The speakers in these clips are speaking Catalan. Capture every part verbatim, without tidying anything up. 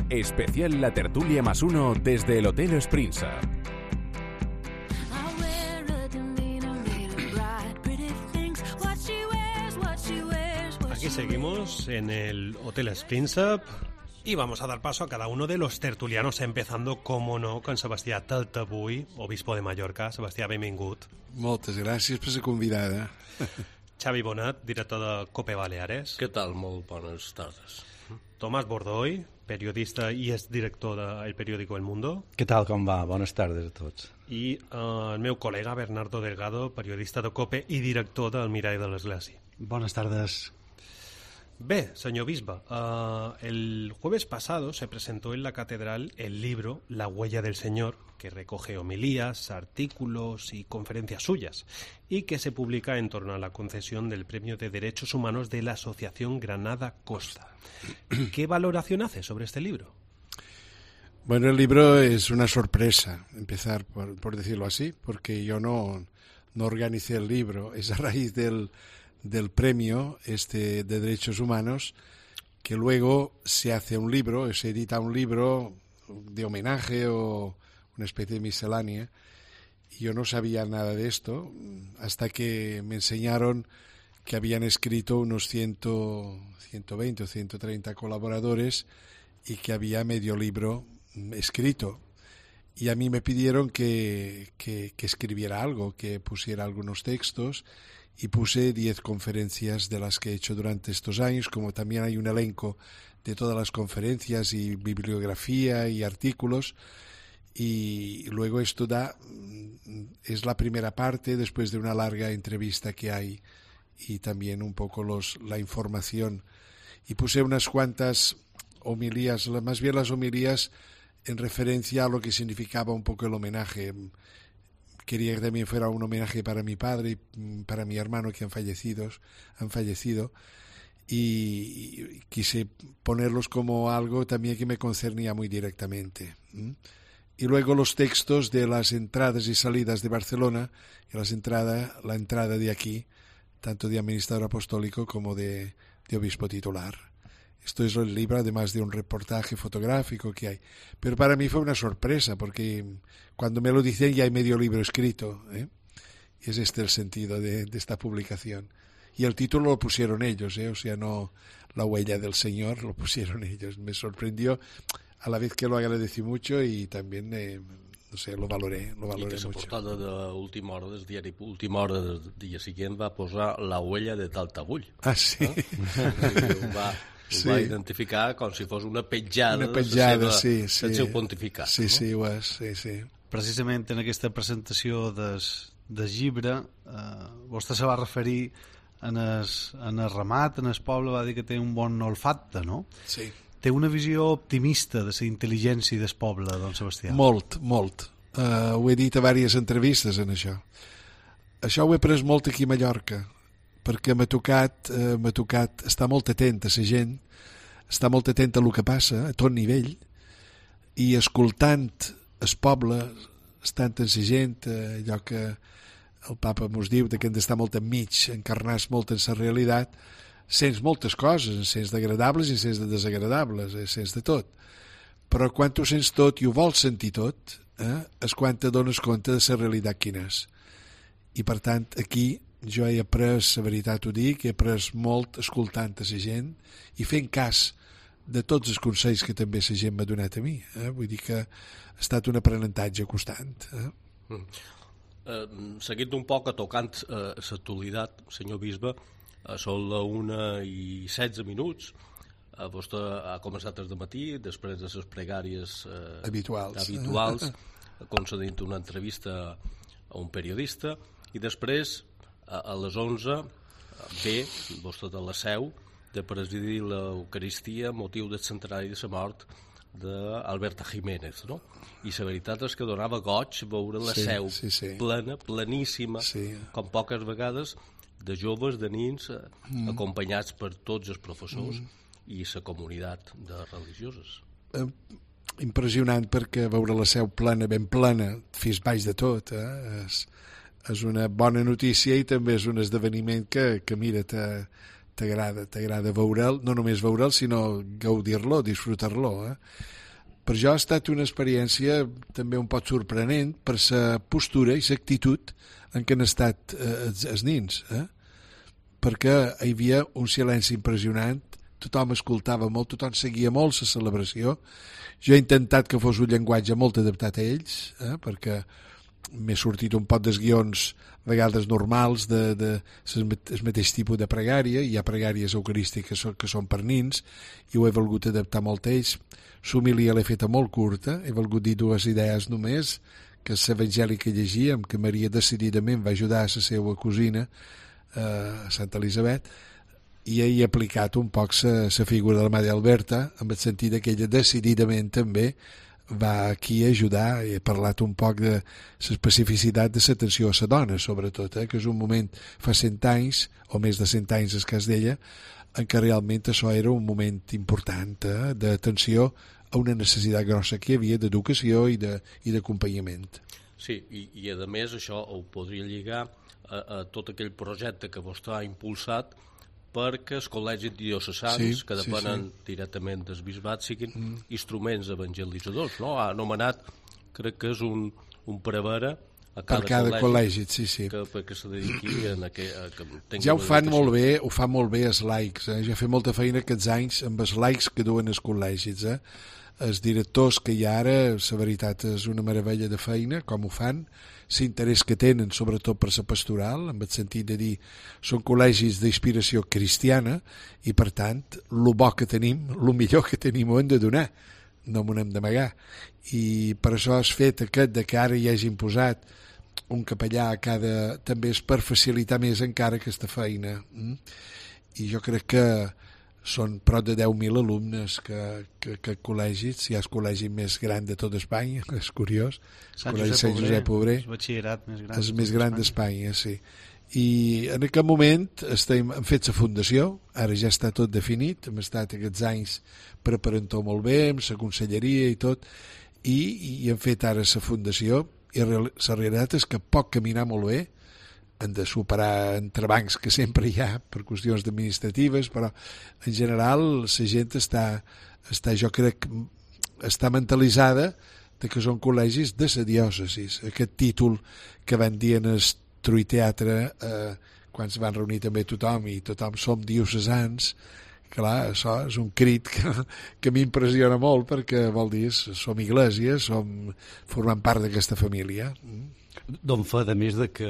Especial La Tertulia más uno desde el Hotel Sprinza. Aquí seguimos en el Hotel Sprinza y vamos a dar paso a cada uno de los tertulianos, empezando, como no, con Sebastià Taltabull, obispo de Mallorca. Sebastià, benvingut. Moltes gràcies per la convidada. Xavi Bonat, director de COPE Baleares. Què tal? Molt bones tardes. Tomás Bordoy, periodista i és director del periòdico El Mundo. Què tal, com va? Bones tardes a tots. I uh, el meu col·lega Bernardo Delgado, periodista de COPE i director del Mirall de l'Església. Buenas tardes. Bé, señor Bisba, uh, el jueves pasado se presentó en la catedral el libro La huella del Señor, que recoge homilías, artículos y conferencias suyas, y que se publica en torno a la concesión del Premio de Derechos Humanos de la Asociación Granada Costa. ¿Qué valoración hace sobre este libro? Bueno, el libro es una sorpresa, empezar por, por decirlo así, porque yo no, no organicé el libro, es a raíz del... del premio este de Derechos Humanos, que luego se hace un libro, se edita un libro de homenaje o una especie de miscelánea. Y yo no sabía nada de esto hasta que me enseñaron que habían escrito unos ciento, ciento veinte o ciento treinta colaboradores y que había medio libro escrito. Y a mí me pidieron que, que, que escribiera algo, que pusiera algunos textos. Y puse diez conferencias de las que he hecho durante estos años, como también hay un elenco de todas las conferencias y bibliografía y artículos. Y luego esto da, es la primera parte después de una larga entrevista que hay y también un poco los, la información. Y puse unas cuantas homilías, más bien las homilías en referencia a lo que significaba un poco el homenaje. Quería que también fuera un homenaje para mi padre y para mi hermano que han fallecido, han fallecido y quise ponerlos como algo también que me concernía muy directamente. Y luego los textos de las entradas y salidas de Barcelona, y las entradas, la entrada de aquí, tanto de administrador apostólico como de, de obispo titular. Esto es el libro, además de un reportaje fotográfico que hay. Pero para mí fue una sorpresa, porque cuando me lo dicen ya hay medio libro escrito, ¿eh? Y es este el sentido de, de esta publicación. Y el título lo pusieron ellos, ¿eh? O sea, no La huella del Señor, lo pusieron ellos. Me sorprendió, a la vez que lo agradecí mucho y también, eh, no sé, lo valoré, lo valoré I que mucho. la portada d'última hora del diari Última Hora del dia següent va posar La huella de Taltabull. Ah, sí? Eh? Va... Sí. Va identificar com si fos una petjada, una petjada de seva, sí, sí. del seu pontificat. Sí, no? sí, ho és, sí, sí. Precisament en aquesta presentació des, del llibre, eh, vostè se va referir en el, en el ramat, en el poble, va dir que té un bon olfacte, no? Sí. Té una visió optimista de la intel·ligència del poble, don Sebastià. Molt, molt. Uh, ho he dit a diverses entrevistes en això. Això ho he pres molt aquí a Mallorca, perquè m'ha tocat, eh, m'ha tocat estar molt atent a la gent, estar molt atent a el que passa, a tot nivell, i escoltant el poble, estant amb la gent, eh, allò que el papa mos diu, que hem d'estar molt enmig, encarnar-se molt en la realitat, sents moltes coses, sents d'agradables i sents de desagradables, eh, sents de tot. Però quan tu sents tot i ho vols sentir tot, eh, és quan te dones compte de la realitat quina és. I per tant, aquí jo he après, la veritat ho dic, he après molt escoltant a la gent i fent cas de tots els consells que també la gent m'ha donat a mi. Eh? Vull dir que ha estat un aprenentatge constant. Eh? Mm. Eh, seguint un poc, tocant eh, l'actualitat, senyor bisbe, eh, són la una i setze minuts. Eh, vostè ha començat des de matí, després de les pregàries eh, habituals, habituals concedint una entrevista a un periodista, i després a les onze ve vostè de la Seu de presidir l'Eucaristia motiu del centenari de la mort d'Alberta Jiménez, no? I la veritat és que donava goig veure la sí, Seu sí, sí. plena, pleníssima, sí. com poques vegades, de joves, de nins, mm. acompanyats per tots els professors mm. i la comunitat de religioses. Eh, impressionant, perquè veure la Seu plena, ben plena, fins baix de tot, eh? és és una bona notícia i també és un esdeveniment que, que mira, te, t'agrada, t'agrada veure'l, no només veure'l, sinó gaudir-lo, disfrutar-lo. Eh? Per jo ha estat una experiència també un poc sorprenent per la postura i l'actitud en què han estat eh, els, els nins, eh? perquè hi havia un silenci impressionant, tothom escoltava molt, tothom seguia molt la celebració. Jo he intentat que fos un llenguatge molt adaptat a ells, eh? perquè m'he sortit un pot dels guions a vegades normals de, de, de el mateix tipus de pregària. Hi ha pregàries eucarístiques que són, que són per nins i ho he volgut adaptar molt a ells. L'homilia l'he feta molt curta, he volgut dir dues idees només, que és l'evangeli que llegíem, que Maria decididament va ajudar a la seva cosina, eh, Santa Elisabet, i he aplicat un poc la figura de la Mare Alberta, en el sentit que ella decididament també va aquí ajudar. He parlat un poc de l'especificitat de l'atenció a la dona, sobretot, eh, que és un moment fa cent anys, o més de cent anys, el cas d'ella, en què realment això era un moment important eh, d'atenció a una necessitat grossa que hi havia d'educació i d'acompanyament. Sí, i, i a més això ho podria lligar a, a tot aquell projecte que vostè ha impulsat perquè els col·legis diocesans, sí, que depenen sí, sí. directament del bisbat, siguin mm. instruments evangelitzadors. No? Ha anomenat, crec que és un, un prevere a cada, per cada col·legi, col·legi sí, sí. que, que se dediqui a que, a que ja ho fan molt bé, ho fan molt bé els laics, eh? Ja he fet molta feina aquests anys amb els laics que duen els col·legis, eh? Els directors que hi ha ara, la veritat és una meravella de feina, com ho fan, l'interès que tenen, sobretot per la pastoral, en el sentit de dir, són col·legis d'inspiració cristiana i, per tant, el bo que tenim, el millor que tenim ho hem de donar, no m'ho hem d'amagar. I per això has fet aquest de que ara hi hagin posat un capellà a cada... també és per facilitar més encara aquesta feina. I jo crec que són prop de deu mil alumnes que, que, que col·legis, si hi ha el col·legi més gran de tot Espanya, és curiós, el col·legi Sant Josep Obrer, el batxillerat més gran, és més gran d'Espanya, sí. I en aquest moment estem, hem fet la fundació, ara ja està tot definit, hem estat aquests anys preparant-ho molt bé, amb la conselleria i tot, i, i hem fet ara la fundació, i la realitat és que pot caminar molt bé, han de superar entrebancs que sempre hi ha per qüestions administratives, però en general la gent està, està jo crec, està mentalitzada de que són col·legis de la diòcesi. Aquest títol que van dir en el Truiteatre eh, quan es van reunir també tothom i tothom som diocesans, clar, això és un crit que, que m'impressiona molt perquè vol dir som Iglésia, som formant part d'aquesta família. Don fa, a més de que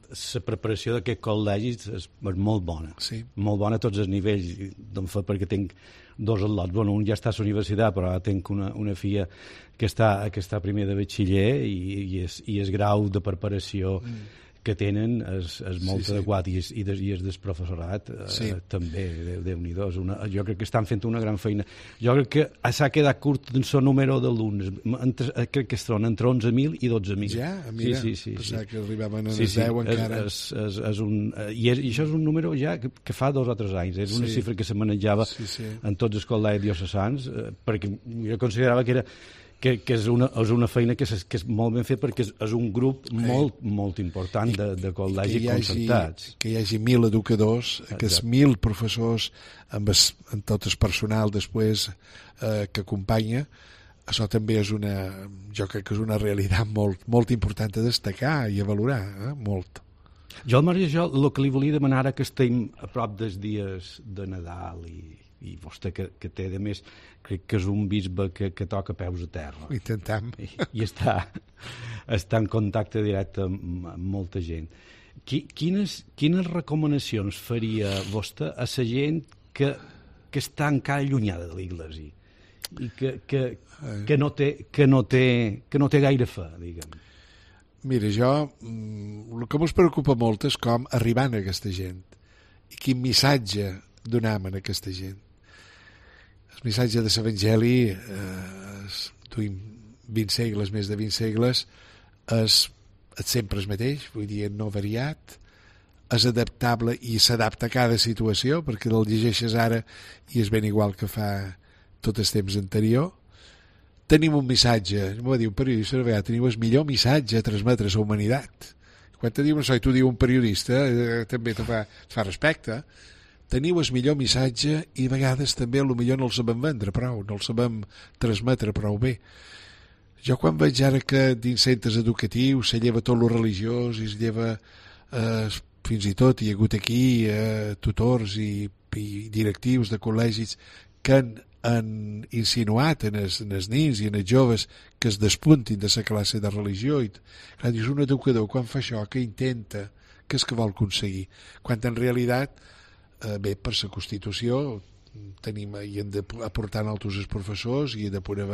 la preparació d'aquest col·legi és molt bona, sí. molt bona a tots els nivells. Don fa, perquè tinc dos al·lots, bueno, un ja està a la universitat, però ara tinc una, una filla que està, que està primer de batxiller i, i, és, i és grau de preparació mm. que tenen és, és molt sí, adequat sí. i, és, i, des, i és del professorat sí. eh, també, Déu-n'hi-do, jo crec que estan fent una gran feina. Jo crec que s'ha quedat curt en el número d'alumnes, crec que es troben entre onze mil i dotze mil. Ja, mira, sí, sí, sí, pensava sí. que arribaven a sí, les sí. deu encara. És, és, és un, i, és, I això és un número ja que, que fa dos o tres anys, és una sí. xifra que se manejava sí, sí. en tots els col·legis diocesans, eh, perquè jo considerava que era Que, que és, una, és una feina que és, que és molt ben fet perquè és, és un grup molt, molt important de, de col·legis concertats. Que hi hagi mil educadors, que és mil professors amb, es, amb tot el personal després eh, que acompanya, això també és una, jo crec que és una realitat molt, molt important a destacar i a valorar, eh? molt. Jo, Maria, jo el que li volia demanar ara que estem a prop dels dies de Nadal i, i vostè que, que té, a més, crec que és un bisbe que, que toca peus a terra. Intentem. I, i està, està en contacte directe amb, amb molta gent. Qui, quines, quines recomanacions faria vostè a la gent que, que està encara allunyada de l'Iglésia i que, que, que, no té, que, no té, que no té gaire fe, diguem? Mira, jo, el que m'ho preocupa molt és com arribar a aquesta gent i quin missatge donem a aquesta gent. El missatge de l'Evangeli, eh, duim vint segles, més de vint segles, és, és sempre el mateix, vull dir, no variat, és adaptable i s'adapta a cada situació, perquè el llegeixes ara i és ben igual que fa tot el temps anterior. Tenim un missatge, m'ho va dir un periodista, a vegades teniu el millor missatge a transmetre a la humanitat. Quan te diuen això i tu diu un periodista, eh, també te fa, te fa respecte, teniu el millor missatge i a vegades també a lo millor no el sabem vendre prou, no el sabem transmetre prou bé. Jo quan veig ara que dins centres educatius se lleva tot lo religiós i es lleva eh, fins i tot hi ha hagut aquí eh, tutors i, i directius de col·legis que han, han insinuat en els, en els nins i en els joves que es despuntin de la classe de religió i clar, dius, un educador quan fa això que intenta, què és que vol aconseguir, quan en realitat eh, bé, per la Constitució tenim, i hem d'aportar altres els professors i, de poder,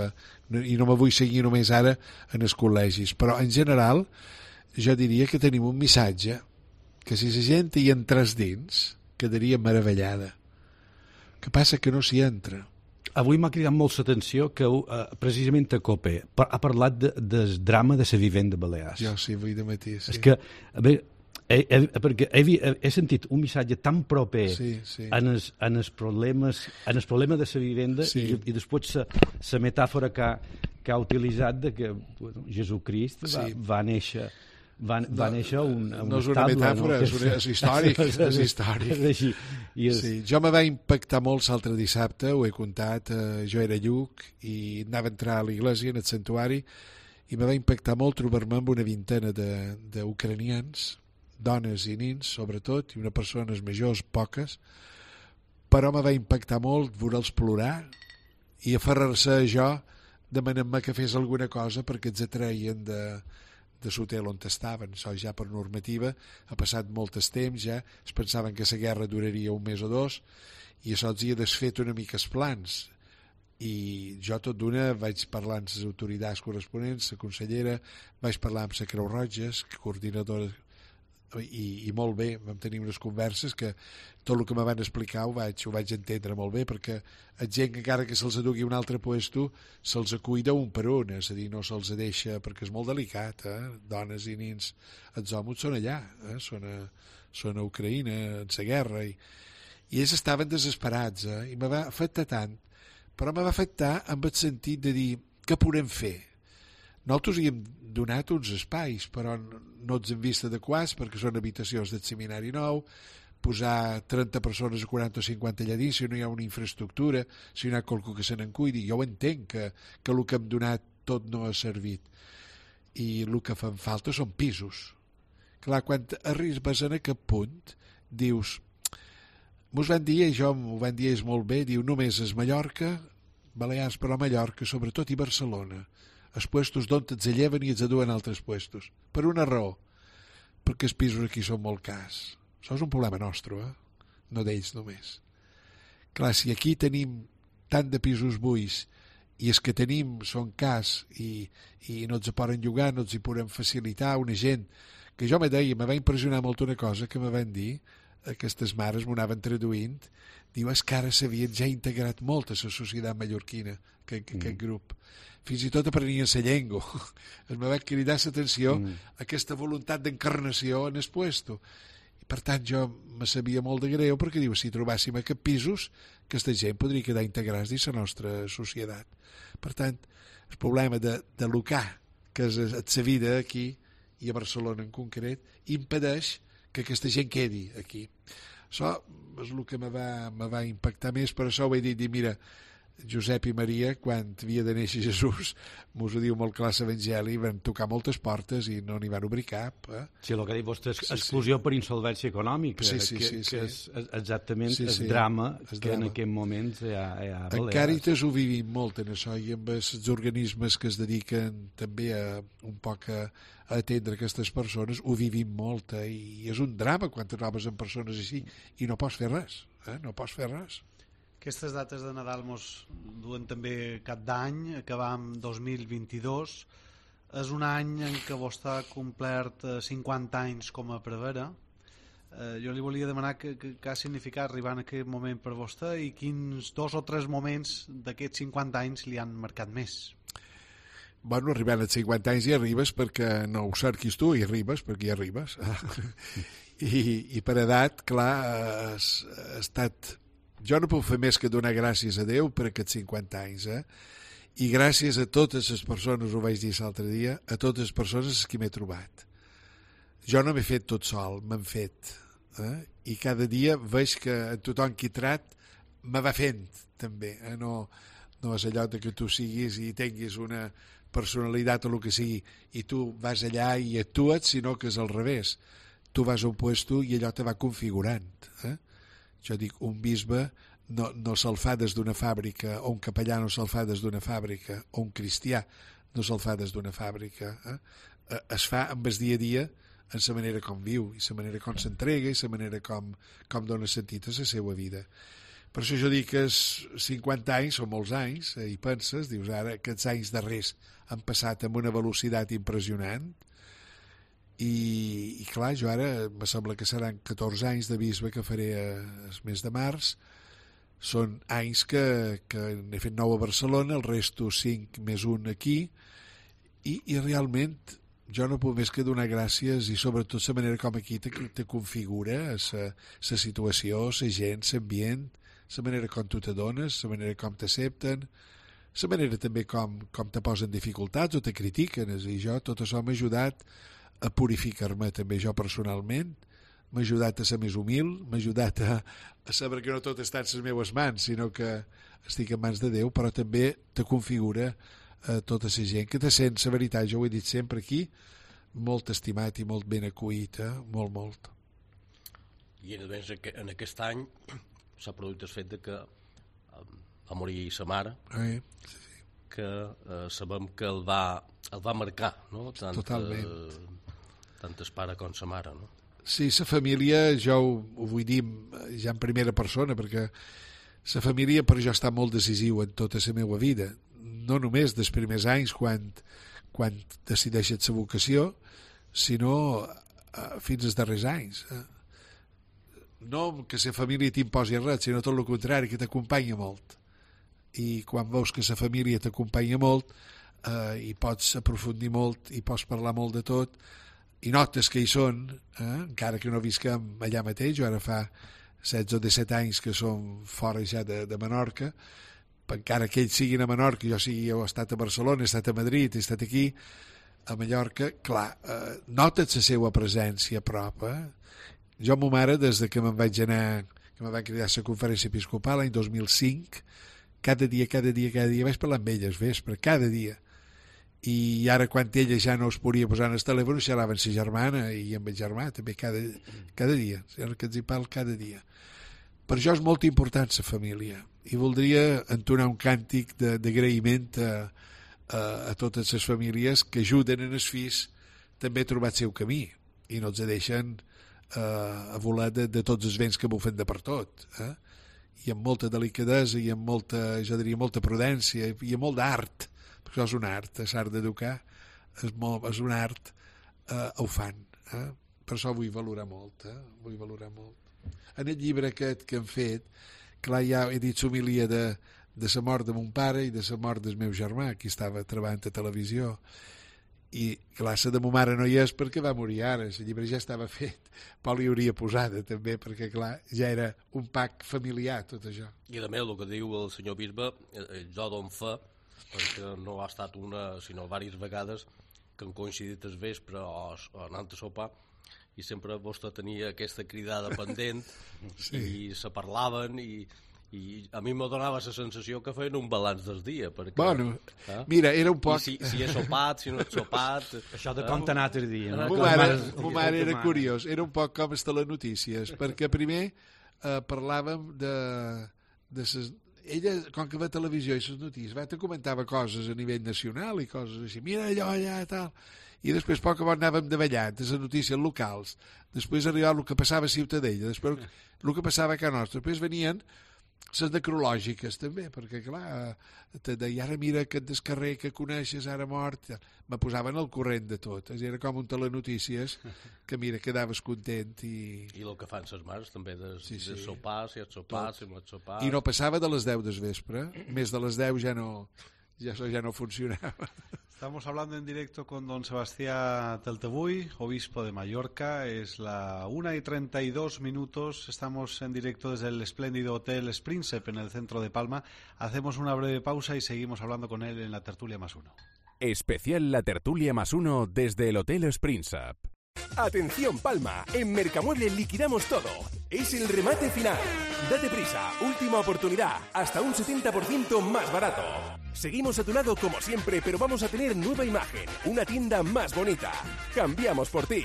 i no me vull seguir només ara en els col·legis, però en general jo diria que tenim un missatge que si la gent hi entrés dins quedaria meravellada. Que passa que no s'hi entra. Avui m'ha cridat molt l'atenció que uh, precisament a Copé ha parlat de, del drama de la vivenda Balears. Jo sí, avui de matí, sí. És que, a veure, he, he, perquè he, he sentit un missatge tan proper sí, sí. en, els, en, els problemes, en el problema de la vivenda sí. i, i després la metàfora que ha, que ha utilitzat de que bueno, Jesucrist va, sí. va néixer va, va no, néixer un, un no és una estable, metàfora, no? és, una, és històric és històric és així. I és... sí, jo me va impactar molt l'altre dissabte, ho he contat, eh, jo era lluc i anava a entrar a l'església en el santuari i me va impactar molt trobar-me amb una vintena d'ucranians, dones i nins sobretot, i unes persones majors poques, però me va impactar molt veure'ls plorar i aferrar-se a jo demanant-me que fes alguna cosa perquè els atreien de de l'hotel on estaven. Això ja per normativa ha passat molt temps ja, es pensaven que la guerra duraria un mes o dos i això els hi ha desfet una mica els plans i jo tot d'una vaig parlar amb les autoritats corresponents, la consellera, vaig parlar amb la Creu Roja, coordinadora i, i molt bé, vam tenir unes converses que tot el que me van explicar ho vaig, ho vaig entendre molt bé perquè la gent que encara que se'ls adugui un altre puesto se'ls cuida un per un, és a dir, no se'ls deixa perquè és molt delicat, eh? Dones i nins, els homes són allà, eh? són, a, són a Ucraïna en la guerra i, i ells estaven desesperats eh? I me va afectar tant, però me va afectar amb el sentit de dir què podem fer. Nosaltres hi hem donat uns espais, però no els hem vist adequats perquè són habitacions del seminari nou, posar trenta persones o quaranta o cinquanta allà dins, si no hi ha una infraestructura, si no hi ha qualcú que se n'en cuidi. Jo ho entenc, que, que el que hem donat tot no ha servit. I el que fan falta són pisos. Clar, quan arribes en aquest punt, dius, mos van dir, i jo m'ho van dir ells molt bé, diu, només és Mallorca, Balears, però Mallorca, sobretot, i Barcelona. Els puestos d'on els lleven i els aduen a altres puestos. Per una raó, perquè els pisos aquí són molt cars. Això és un problema nostre, eh? No d'ells només. Clar, si aquí tenim tant de pisos buits i els que tenim són cars i, i no els poden llogar, no els hi podem facilitar una gent que jo me deia, me va impressionar molt una cosa que me van dir, aquestes mares m'ho anaven traduint, diu, és que ara s'havien ja integrat molt a la societat mallorquina, que, que, mm. aquest grup. Fins i tot aprenien la llengua. Es me va cridar l'atenció mm. aquesta voluntat d'encarnació en el puesto. I per tant jo me sabia molt de greu perquè diu, si trobàssim aquests pisos, aquesta gent podria quedar integrats dins la nostra societat. Per tant, el problema de, de locar, que és la vida aquí, i a Barcelona en concret, impedeix que aquesta gent quedi aquí. Això és el que me va, me va impactar més, per això ho he dit, dir, mira, Josep i Maria, quan havia de néixer Jesús, mos ho diu molt clar l'Evangeli, van tocar moltes portes i no n'hi van obrir cap. Eh? Sí, el que ha dit vostè és sí, exclusió sí. per insolvència econòmica, sí, sí, que, sí, que sí. és exactament sí, sí. el drama el que drama. en aquest moment hi ha, hi ha a En Càritas ho vivim molt en això i amb els organismes que es dediquen també a un poc a, a atendre aquestes persones ho vivim molt eh? I és un drama quan te trobes amb persones així i no pots fer res, eh? no pots fer res. Aquestes dates de Nadal mos duen també cap d'any, acabam dos mil vint-i-dos. És un any en què vostè ha complert cinquanta anys com a prevere. Eh, jo li volia demanar què ha significat arribar en aquest moment per vostè i quins dos o tres moments d'aquests cinquanta anys li han marcat més. Bueno, arribant als cinquanta anys hi arribes perquè no ho cerquis tu, hi arribes perquè hi arribes. I, i per edat, clar, has, has estat... Jo no puc fer més que donar gràcies a Déu per aquests cinquanta anys, eh? I gràcies a totes les persones, ho vaig dir l'altre dia, a totes les persones que m'he trobat. Jo no m'he fet tot sol, m'han fet eh? I cada dia veig que tothom qui trat me va fent també, eh? no, no és allò de que tu siguis i tinguis una personalitat o el que sigui i tu vas allà i actues, sinó que és al revés, tu vas a un puesto i allò te va configurant, eh? Jo dic, un bisbe no, no se'l fa des d'una fàbrica, o un capellà no se'l fa des d'una fàbrica, o un cristià no se'l fa des d'una fàbrica, eh? Es fa amb el dia a dia en la manera com viu i la manera com s'entrega i la manera com, com dona sentit a la seva vida. Per això jo dic que és cinquanta anys són molts anys, eh, i penses, dius ara aquests anys darrers han passat amb una velocitat impressionant i, i clar, jo ara me sembla que seran catorze anys de bisbe que faré el mes de març. Són anys que, que n'he fet nou a Barcelona, el resto cinc més un aquí, i, i realment jo no puc més que donar gràcies i sobretot la manera com aquí te, te configura la situació, la gent, l'ambient, la manera com tu te dones, la manera com t'accepten, la manera també com, com te posen dificultats o te critiquen. I jo tot això m'ha ajudat a purificar-me també jo personalment, m'ha ajudat a ser més humil, m'ha ajudat a, a saber que no tot està en les meves mans, sinó que estic en mans de Déu, però també te configura a tota la gent que te sent, la veritat, jo ho he dit sempre aquí, molt estimat i molt ben acollit, eh? molt, molt. I a més, en aquest any s'ha produït el fet de que va morir sa mare, Eh? Sí, sí. que eh, sabem que el va, el va marcar, no? Tant, Totalment. Eh, tant el pare com sa mare, no? Sí, la família, jo ho, ho vull dir ja en primera persona, perquè la família per jo està molt decisiu en tota la meva vida, no només dels primers anys quan, quan decideixes la vocació, sinó eh, fins als darrers anys. Eh? No que la família t'imposi res, sinó tot el contrari, que t'acompanya molt. I quan veus que la família t'acompanya molt, eh, i pots aprofundir molt, i pots parlar molt de tot, i notes que hi són, eh? encara que no visquem allà mateix, jo ara fa setze o disset anys que som fora ja de, de Menorca, encara que ells siguin a Menorca, jo sigui, jo he estat a Barcelona, he estat a Madrid, he estat aquí, a Mallorca, clar, eh, notes la seva presència a prop. Eh? Jo, ma mare, des de que me'n vaig anar, que me'n vaig cridar a la conferència episcopal l'any dos mil cinc, cada dia, cada dia, cada dia, vaig parlar amb ella al vespre, cada dia. I ara quan ella ja no es podia posar en el telèfon, xerrava amb sa germana i amb el germà també cada, cada dia, el que ens hi parla cada dia. Per això és molt important la família i voldria entonar un càntic d'agraïment a, a, a totes les famílies que ajuden en els fills també a trobar el seu camí i no els deixen eh, a volar de, de tots els vents que bufen de per tot, eh? I amb molta delicadesa i amb molta, jo diria, molta prudència i amb molt d'art, perquè això és un art, és art d'educar, és, molt, és un art, eh, ho fan, eh? Per això vull valorar molt, eh? vull valorar molt. En el llibre aquest que hem fet, clar, ja he dit l'homilia de, de la mort de mon pare i de la mort del meu germà, que estava treballant a televisió, i clar, la de ma mare no hi és perquè va morir ara, el llibre ja estava fet, però l'hi hauria posada també, perquè clar, ja era un pack familiar tot això. I a més, el que diu el senyor bisbe, eh, jo dono fe, perquè no ha estat una, sinó diverses vegades que han coincidit el vespre o, o anant a sopar, i sempre vostè tenia aquesta cridada pendent, sí. I se parlaven i, i a mi me donava la sensació que feien un balanç del dia perquè, bueno, eh? Mira, era un poc... I si, si he sopat, si no he sopat... Això de com t'ha anat el dia, no? Ma mare, ma mare era curiós, era un poc com les telenotícies, perquè primer eh, parlàvem de, de ses... ella, com que va a televisió i les notícies, va, te comentava coses a nivell nacional i coses així, mira allò allà i tal, i després poc a poc anàvem davallant de les notícies locals, després arribava el que passava a Ciutadella, després el que passava a Can Nostra, després venien les necrològiques també, perquè clar, te deia, ara mira aquest del carrer que coneixes, ara mort, me posaven al corrent de tot, era com un telenotícies que mira, quedaves content i... I el que fan ses mares també, de, sí, sí. de sopar, si ets sopat, si no ets sopat... I no passava de les deu del vespre, més de les deu ja no, ja, ja no funcionava. Estamos hablando en directo con don Sebastián Teltebuy, obispo de Mallorca. Es la una y treinta y dos minutos. Estamos en directo desde el espléndido Hotel Príncipe en el centro de Palma. Hacemos una breve pausa y seguimos hablando con él en la tertulia más uno. Especial La Tertulia más uno desde el Hotel Príncipe. Atención Palma, en Mercamueble liquidamos todo. Es el remate final. Date prisa, última oportunidad, hasta un setenta por ciento más barato. Seguimos a tu lado como siempre, pero vamos a tener nueva imagen, una tienda más bonita. Cambiamos por ti.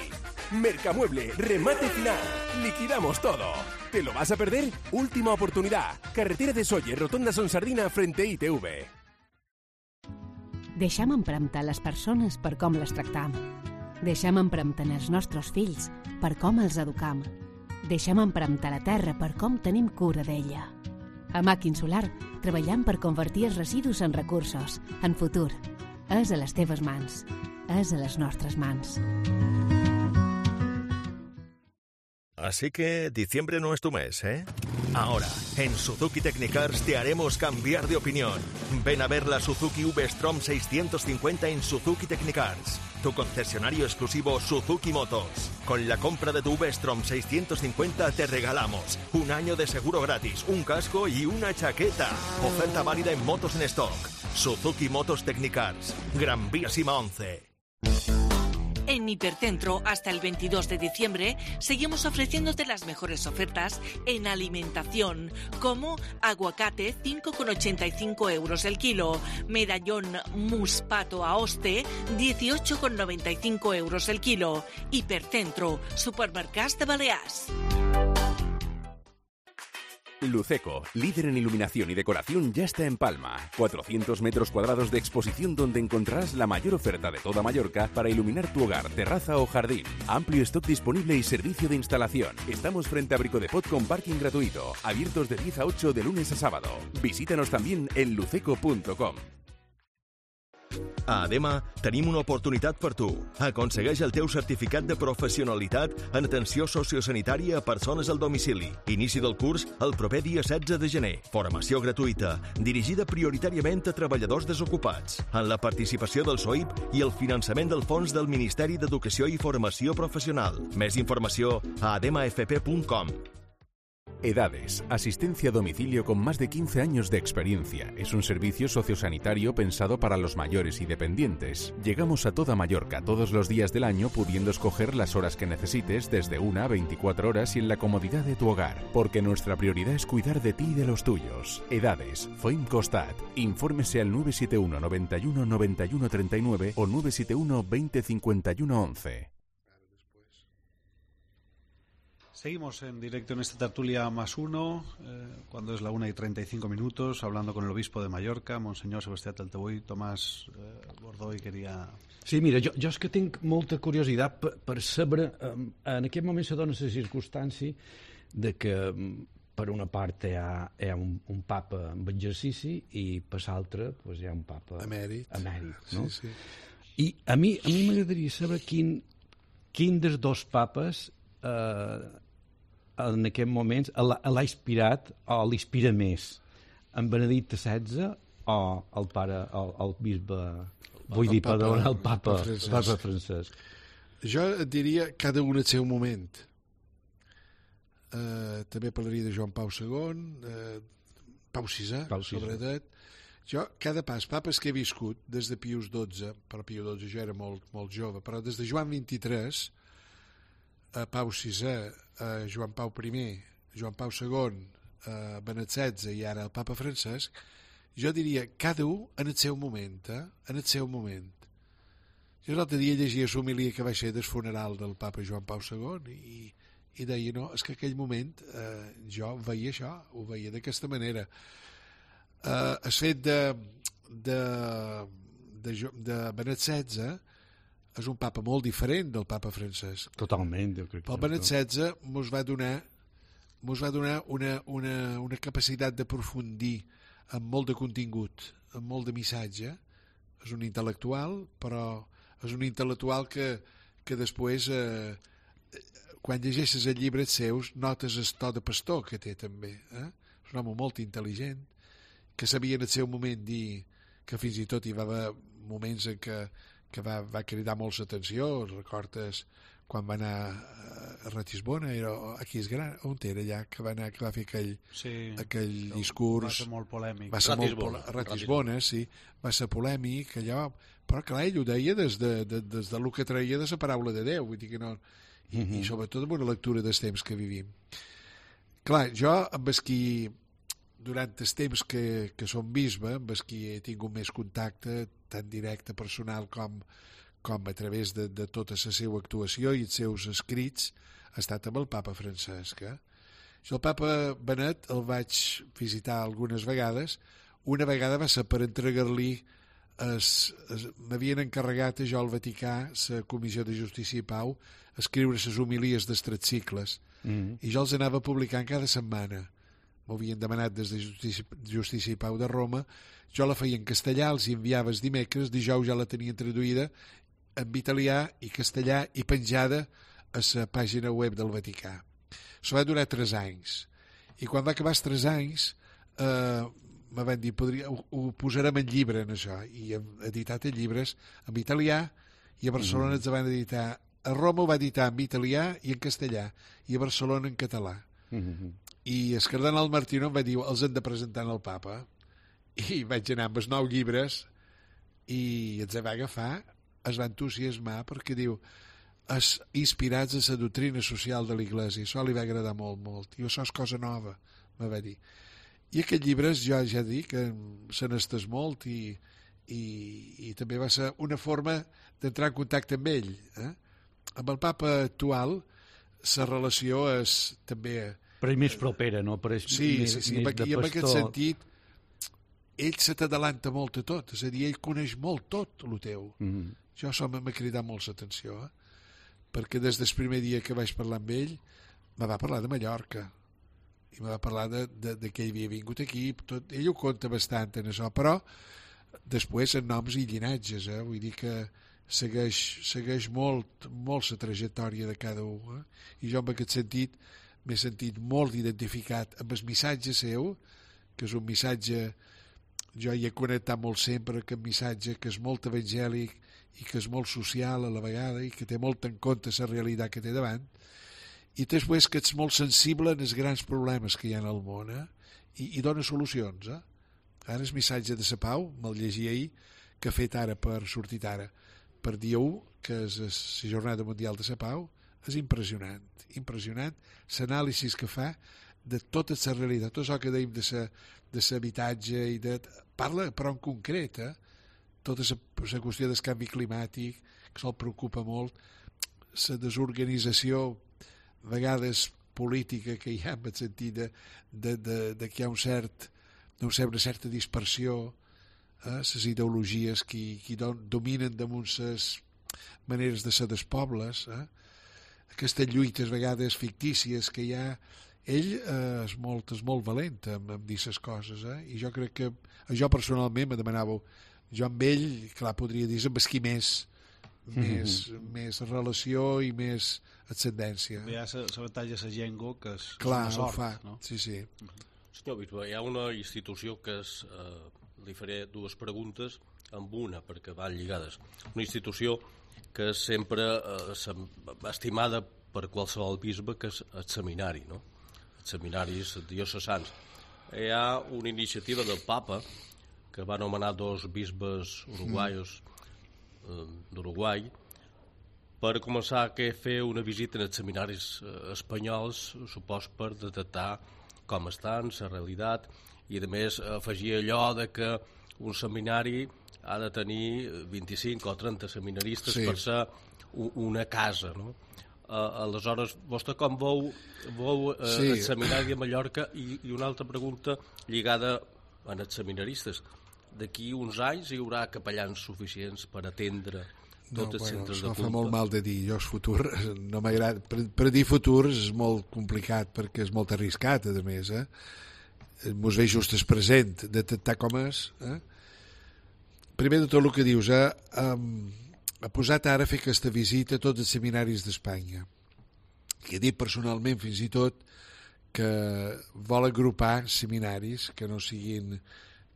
Mercamueble, remate final. Liquidamos todo. ¿Te lo vas a perder? Última oportunidad. Carretera de Sóller, Rotonda Son Sardina, frente a I T V. Deixem empremtar les persones per com les tractam. Deixem empremtar els nostres fills per com els educam. Deixem empremtar la terra per com tenim cura d'ella. A Màquin Solar treballem per convertir els residus en recursos, en futur. És a les teves mans. És a les nostres mans. Así que diciembre no es tu mes, ¿eh? Ahora, en Suzuki Technicars te haremos cambiar de opinión. Ven a ver la Suzuki V-Strom seiscientos cincuenta en Suzuki Technicars, tu concesionario exclusivo Suzuki Motos. Con la compra de tu V-Strom seiscientos cincuenta te regalamos un año de seguro gratis, un casco y una chaqueta. Oferta válida en motos en stock. Suzuki Motos Technicars, Gran Vía Sima once. En Hipercentro, hasta el veintidós de diciembre, seguimos ofreciéndote las mejores ofertas en alimentación, como aguacate cinco con ochenta y cinco euros el kilo, medallón muspato Aoste dieciocho con noventa y cinco euros el kilo. Hipercentro, supermercats de Balears. Luceco, líder en iluminación y decoración, ya está en Palma. cuatrocientos metros cuadrados de exposición donde encontrarás la mayor oferta de toda Mallorca para iluminar tu hogar, terraza o jardín. Amplio stock disponible y servicio de instalación. Estamos frente a Brico de Pot con parking gratuito. Abiertos de diez a ocho de lunes a sábado. Visítanos también en luceco punto com. A Adema tenim una oportunitat per tu. Aconsegueix el teu certificat de professionalitat en atenció sociosanitària a persones al domicili. Inici del curs el proper dia setze de gener. Formació gratuïta, dirigida prioritàriament a treballadors desocupats, en la participació del S O I P i el finançament del Fons del Ministeri d'Educació i Formació Professional. Més informació a adema f p punt com. Edades, asistencia a domicilio con más de quince años de experiencia. Es un servicio sociosanitario pensado para los mayores y dependientes. Llegamos a toda Mallorca todos los días del año, pudiendo escoger las horas que necesites desde una a veinticuatro horas y en la comodidad de tu hogar, porque nuestra prioridad es cuidar de ti y de los tuyos. Edades, Foim Costat. Infórmese al nueve siete uno noventa y uno noventa y uno treinta y nueve o nueve siete uno veinte cincuenta y uno once. Seguimos en directo en esta tertulia más uno, eh, cuando es la una y treinta y cinco minutos, hablando con el obispo de Mallorca, Monseñor Sebastià Taltebull. Tomàs eh, Bordoy queria... Sí, mira, jo, jo és que tinc molta curiositat per, per saber, eh, en aquest moment se dona la circumstància de que per una part hi ha, hi ha un, un papa amb exercici i per l'altra pues, hi ha un papa emèrit, emèrit no? Sí, sí. I a mi a mi m'agradaria saber quin, quin dels dos papes eh, en aquest moment l'ha inspirat o l'inspira més, en Benedicte setze o el pare, el, el bisbe, vull el dir, papa, perdona, el papa, papa, Francesc. papa Francesc. Jo et diria cada un al seu moment. Uh, també parlaria de Joan Pau segon, uh, Pau sisè, Pau sisè, sobretot. Jo, cada pas, papes que he viscut, des de Pius dotze, però Pius dotze jo era molt, molt jove, però des de Joan vint-i-tres, a Pau sisè, a Joan Pau primer, Joan Pau segon, a Benet setze i ara el papa Francesc, jo diria cada un en el seu moment, eh? en el seu moment. Jo l'altre dia llegia l'homilia que va ser del funeral del papa Joan Pau segon i, i deia, no, és que aquell moment eh, jo veia això, ho veia d'aquesta manera. Eh, el fet de, de, de, de Benet setze és un papa molt diferent del papa Francesc. Totalment, jo crec. Però el Benet setze mos va donar, mos va donar una, una, una capacitat d'aprofundir amb molt de contingut, amb molt de missatge. És un intel·lectual, però és un intel·lectual que, que després, eh, quan llegeixes els llibres seus, notes el to de pastor que té també. Eh? És un home molt intel·ligent, que sabia en el seu moment dir que fins i tot hi va haver moments en què que va, va cridar molt l'atenció. Recordes quan va anar eh, a Ratisbona, era, aquí és gran, on era allà, que va anar, que va fer aquell, sí, aquell discurs... Va ser molt polèmic. Va ser Ratisbona, molt, Ratisbona, sí, va ser polèmic, allò, però clar, ell ho deia des de, de, des de lo que traia de la paraula de Déu, vull dir que no... I, mm-hmm. i sobretot amb una lectura dels temps que vivim. Clar, jo amb els qui, durant els temps que, que som bisbe, amb els qui he tingut més contacte, tant directe, personal, com... com a través de, de tota la seva actuació i els seus escrits, ha estat amb el papa Francesc. Eh? Jo el papa Benet el vaig visitar algunes vegades. Una vegada va ser per entregar-li, m'havien encarregat a jo al Vaticà, la Comissió de Justícia i Pau, escriure les homilies dels tres cicles. Mm-hmm. I jo els anava publicant cada setmana. M'ho havien demanat des de Justícia, Justícia i Pau de Roma. Jo la feia en castellà, els enviava els dimecres, dijous ja la tenien traduïda en italià i castellà i penjada a la pàgina web del Vaticà. Això va durar tres anys. I quan va acabar els tres anys eh, me van dir, podria, ho, ho posarem en llibre, en això. I hem editat en llibres en italià i a Barcelona mm-hmm. ens van editar. A Roma ho va editar en italià i en castellà i a Barcelona en català. Mm-hmm. I el cardenal Martino em va dir, els hem de presentar al papa. I vaig anar amb els nou llibres i ens va agafar, es va entusiasmar perquè diu es inspirats en la doctrina social de l'Església, això li va agradar molt, molt, i això és cosa nova, me va dir. I aquests llibres jo ja dic que se n'estès molt i, i, i també va ser una forma d'entrar en contacte amb ell. Eh? Amb el papa actual la relació és també... Però és més propera, no? Però és sí, més, sí, sí, més i en aquest sentit ell se t'adalanta molt a tot, és a dir, ell coneix molt tot el teu. Mm-hmm. Jo això m'ha cridat molt l'atenció, eh? Perquè des del primer dia que vaig parlar amb ell me va parlar de Mallorca i me va parlar de, de, de que ell havia vingut aquí, tot, ell ho conta bastant en això, però després en noms i llinatges, eh? Vull dir que segueix, segueix molt, molt la trajectòria de cada un, eh? I jo en aquest sentit m'he sentit molt identificat amb el missatge seu, que és un missatge, jo hi he connectat molt sempre, que un missatge que és molt evangèlic i que és molt social a la vegada i que té molt en compte la realitat que té davant, i després que ets molt sensible en els grans problemes que hi ha al món, eh? I, i dona solucions. Eh? Ara el missatge de la pau, me'l llegia ahir, que ha fet ara per sortir ara, per dia u, que és la Jornada Mundial de la Pau, és impressionant, impressionant l'anàlisi que fa de tota la realitat, tot això que dèiem de l'habitatge i de... Parla, però en concret, eh? Tota la qüestió del canvi climàtic, que se'l preocupa molt, la desorganització, a vegades política que hi ha, en el sentit de, de, de, de que hi ha un cert, no sé, una certa dispersió, eh? Les ideologies que, que dominen damunt les maneres de ser dels pobles, eh? Aquestes lluites a vegades fictícies que hi ha, ell eh, és, molt, és molt valent en, en dir les coses, eh? I jo crec que jo personalment me demanàveu, jo amb ell, clar, podria dir amb qui més, més, mm-hmm. més relació i més ascendència. Hi ha l'avantatge de la llengua, que és, clar, és una sort, ho fa. No? Sí, sí. Mm-hmm. Senyor Bisbe, hi ha una institució que és, eh, li faré dues preguntes amb una, perquè van lligades. Una institució que és sempre eh, estimada per qualsevol bisbe, que és el seminari, no? Els seminaris diocesans. Hi ha una iniciativa del papa que va anomenar dos bisbes uruguaios eh, d'Uruguai per començar a fer una visita en els seminaris eh, espanyols, supos per detectar com estan, la realitat, i a més afegir allò de que un seminari ha de tenir vint-i-cinc o trenta seminaristes sí. per ser una casa, no? Uh, aleshores, vostè com veu, veu uh, sí. el seminari de Mallorca i, i una altra pregunta lligada a els seminaristes. D'aquí uns anys hi haurà capellans suficients per atendre tots no, els bueno, centres de culte? culte? Fa molt mal de dir, jo és futur, no m'agrada. Per, per dir futur és molt complicat perquè és molt arriscat, a més, eh? Mos ve just el present, detectar com és, eh? Primer de tot el que dius, eh? Um, ha posat ara a fer aquesta visita a tots els seminaris d'Espanya. I he dit personalment, fins i tot, que vol agrupar seminaris que no siguin,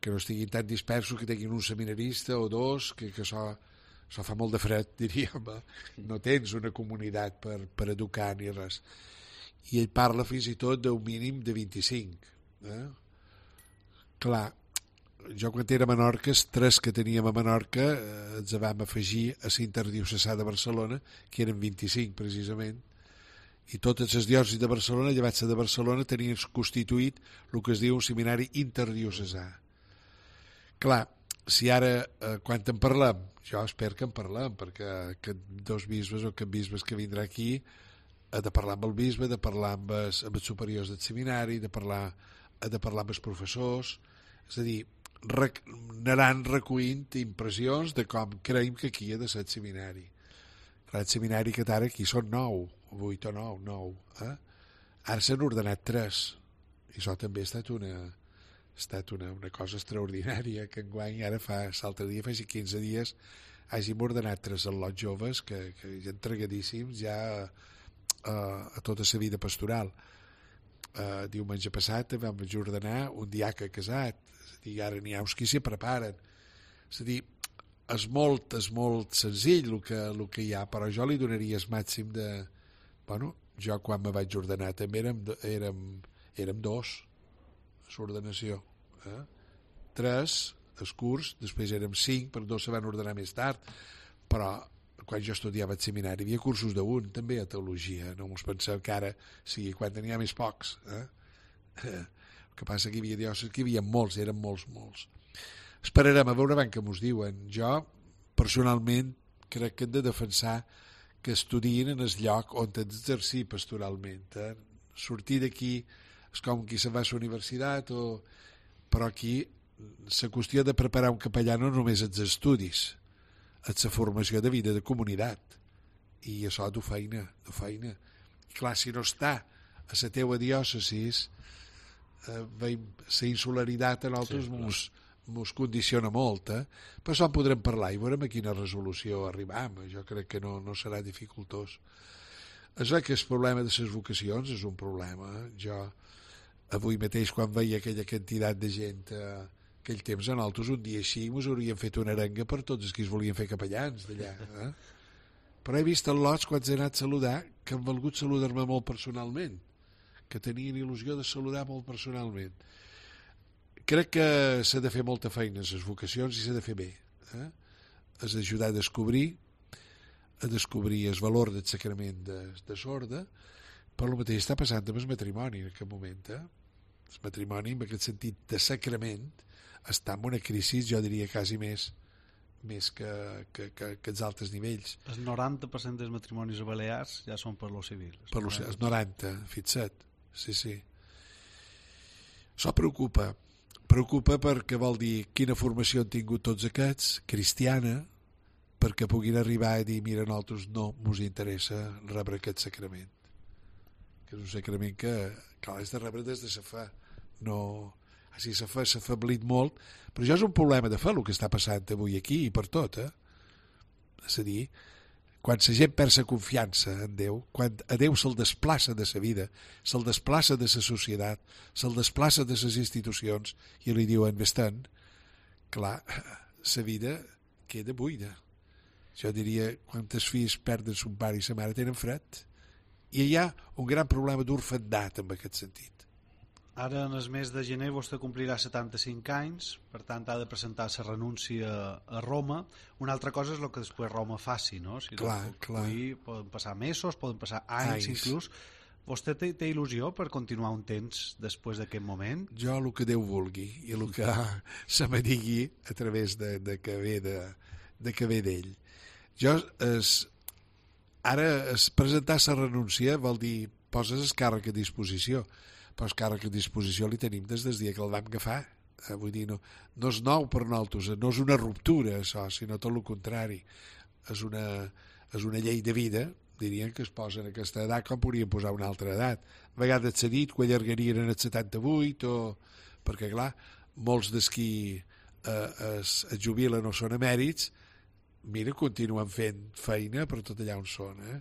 que no estiguin tan dispersos, que tinguin un seminarista o dos, que, que això, això fa molt de fred, diríem, eh? No tens una comunitat per, per educar ni res. I ell parla fins i tot d'un mínim de vint-i-cinc. Eh? Clar, jo quan era a Menorca, els tres que teníem a Menorca eh, ens vam afegir a l'Interdiocesà de Barcelona, que eren vint-i-cinc precisament, i totes les diòcesis de Barcelona, llevat de Barcelona, tenien constituït el que es diu un seminari interdiocesà. Clar, si ara, eh, quan en parlem, jo espero que en parlem, perquè aquest dos bisbes o aquest bisbes que vindrà aquí ha de parlar amb el bisbe, ha de parlar amb els, amb els superiors del seminari, de parlar, ha de parlar amb els professors, és a dir, rec, anaran recollint impressions de com creiem que aquí ha de ser el seminari. Clar, el seminari que ara aquí són nou, vuit o nou, nou. Eh? Ara s'han ordenat tres, i això també ha estat una, ha estat una, una cosa extraordinària, que enguany ara fa, l'altre dia, fa quinze dies, hàgim ordenat tres al·lots joves que, que ja entregadíssims ja a, a tota la vida pastoral. Uh, diumenge passat vam ordenar un diaca casat, és a dir, ara n'hi ha uns qui s'hi preparen. És a dir, és molt, és molt senzill el que, el que hi ha, però jo li donaria el màxim de... Bueno, jo quan me vaig ordenar també érem, érem, érem dos a l'ordenació. Eh? Tres, el curs, després érem cinc, però dos se van ordenar més tard, però quan jo estudiava al seminari hi havia cursos d'un, també a teologia, no mos penseu que ara sigui quan tenia més pocs. Eh? El que passa que hi havia diòcesis que hi havia molts, eren molts, molts. Esperarem a veure ben què mos diuen. Jo, personalment, crec que hem de defensar que estudien en el lloc on han d'exercir pastoralment. Eh? Sortir d'aquí és com qui se'n va a la universitat, o... però aquí la qüestió de preparar un capellà no només els estudis, és la formació de vida de comunitat, i això du feina, du feina. I clar, si no està a la teua diòcesi, eh, la insularitat a nosaltres sí, mos, mos condiciona molt, eh? Però això en podrem parlar i veurem a quina resolució arribam. Jo crec que no, no serà dificultós. És que el problema de les vocacions és un problema. Eh? Jo avui mateix, quan veia aquella quantitat de gent eh, aquell temps, en altres un dia així mos haurien fet una arenga per tots els que es volien fer capellans d'allà. Eh? Però he vist en lots, quan he anat a saludar, que han volgut saludar-me molt personalment, que tenien il·lusió de saludar molt personalment. Crec que s'ha de fer molta feina a les vocacions i s'ha de fer bé. Eh? Has d'ajudar a descobrir, a descobrir el valor del sacrament de, de sorda, però el mateix està passant amb el matrimoni en aquest moment. Eh? El matrimoni, en aquest sentit de sacrament, està en una crisi, jo diria, quasi més més que, que, que, que els altres nivells. El noranta per cent dels matrimonis a Balears ja són per lo civil. Per lo, el noranta, fixa't. Sí, sí. Això preocupa. Preocupa perquè vol dir quina formació han tingut tots aquests, cristiana, perquè puguin arribar a dir, mira, nosaltres no ens interessa rebre aquest sacrament. Que és un sacrament que, clar, és de rebre des de sa fe. No... Així s'ha afeblit molt, però això és un problema de fe, el que està passant avui aquí i per tot. Eh? És a dir, quan la gent perd la confiança en Déu, quan a Déu se'l desplaça de la vida, se'l desplaça de la societat, se'l desplaça de les institucions, i li diuen, vés-te'n, clar, la vida queda buida. Jo diria, quantes filles perden son pare i sa mare tenen fred. I hi ha un gran problema d'orfandat en aquest sentit. Ara, en el mes de gener, vostè complirà setanta-cinc anys, per tant, ha de presentar la renúncia a Roma. Una altra cosa és el que després Roma faci, no? Si clar, no, clar. Poden passar mesos, poden passar anys, anys. inclús. Vostè té, té il·lusió per continuar un temps després d'aquest moment? Jo el que Déu vulgui i el que se me digui a través de, de que ve de, de que ve d'ell. Jo, es, ara, es presentar la renúncia vol dir poses el càrrec a disposició, però el càrrec a disposició li tenim des del dia que el vam agafar. Eh, vull dir, no, no és nou per nosaltres, no és una ruptura, això, sinó tot el contrari. És una, és una llei de vida, dirien que es posa en aquesta edat com podrien posar una altra edat. A vegades s'ha dit que ho allargarien en el setanta-vuit, o... perquè, clar, molts dels qui eh, es, es jubilen o són emèrits, mira, continuen fent feina per tot allà on són. Eh?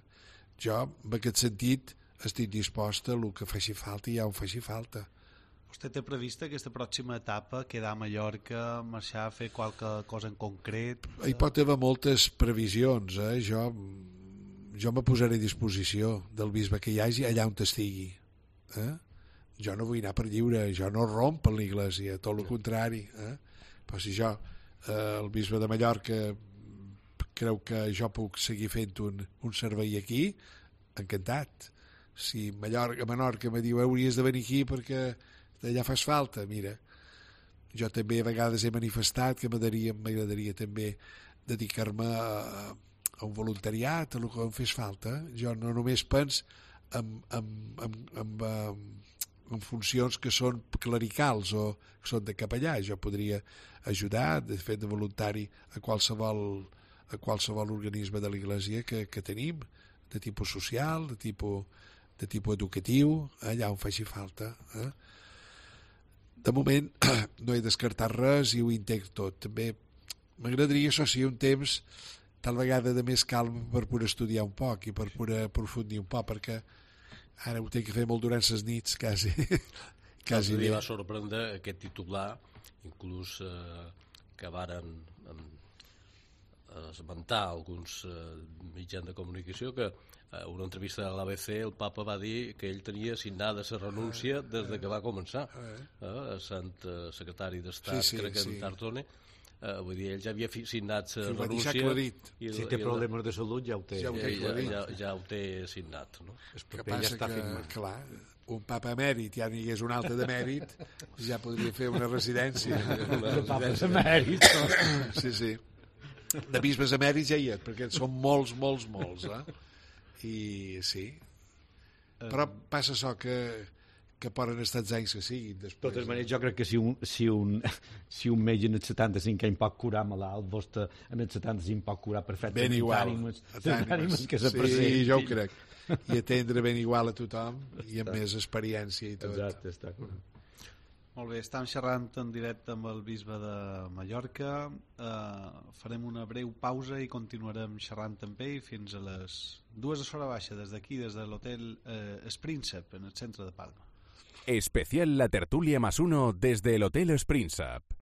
Jo, en aquest sentit, estic disposta a el que faci falta i ja on faci falta. Vostè té prevista aquesta pròxima etapa, quedar a Mallorca, marxar a fer qualque cosa en concret? Hi pot haver moltes previsions, eh? Jo, jo me posaré a disposició del bisbe que hi hagi allà on estigui. Eh? Jo no vull anar per lliure, jo no romp en l'església, tot el contrari. Eh? Però si jo, eh, el bisbe de Mallorca, creu que jo puc seguir fent un, un servei aquí, encantat. Si Mallorca, Menorca me diu hauries de venir aquí perquè d'allà fas falta, mira, jo també a vegades he manifestat que m'agradaria també dedicar-me a, a un voluntariat, a el que em fes falta. Jo no només penso en, en, en, en, en, en funcions que són clericals o que són de capellà. Jo podria ajudar, de fet, de voluntari a qualsevol, a qualsevol organisme de l'Església que, que tenim, de tipus social, de tipus, de tipus educatiu, allà on faci falta. Eh? De moment no he descartat res i ho intento tot. També m'agradaria, això sí, un temps tal vegada de més calm per poder estudiar un poc i per poder aprofundir un poc, perquè ara ho tinc que fer molt durant les nits, quasi. quasi em va sorprendre aquest titular, inclús eh, que varen eh, esmentar alguns eh, mitjans de comunicació que a una entrevista a l'A B C el papa va dir que ell tenia signada la renúncia des de que va començar, eh, a Sant secretari d'Estat, sí, sí, crec que en sí. Tartone, eh, vull dir, ell ja havia signat la renúncia i si té problemes de salut ja ho té, ja ho té, ja, ja, ja ho té signat, no? El que passa ja està que, firmat. Clar, un papa emèrit, ja n'hi hagués un altre d'emèrit, ja podria fer una residència. Una papes emèrit. Sí, sí. De bisbes emèrits ja hi és, perquè són molts, molts, molts, eh? I sí, però passa això que, que poden estar els anys que siguin després. De totes maneres, jo crec que si un, si un, si un metge en els setanta-cinc anys pot curar malalt, vostè en els setanta-cinc pot curar perfectament. Ben igual, ànimes, ànimes que se presenti. Sí, jo ho crec. I atendre ben igual a tothom i amb més experiència i tot. Exacte, està correcte. Molt bé, estem xerrant en directe amb el bisbe de Mallorca. Eh, farem una breu pausa i continuarem xerrant amb ell fins a les dues de l'hora baixa des d'aquí, des de l'hotel eh, Spríncep, en el centre de Palma. Especial La Tertulia más uno desde el Hotel Spríncep.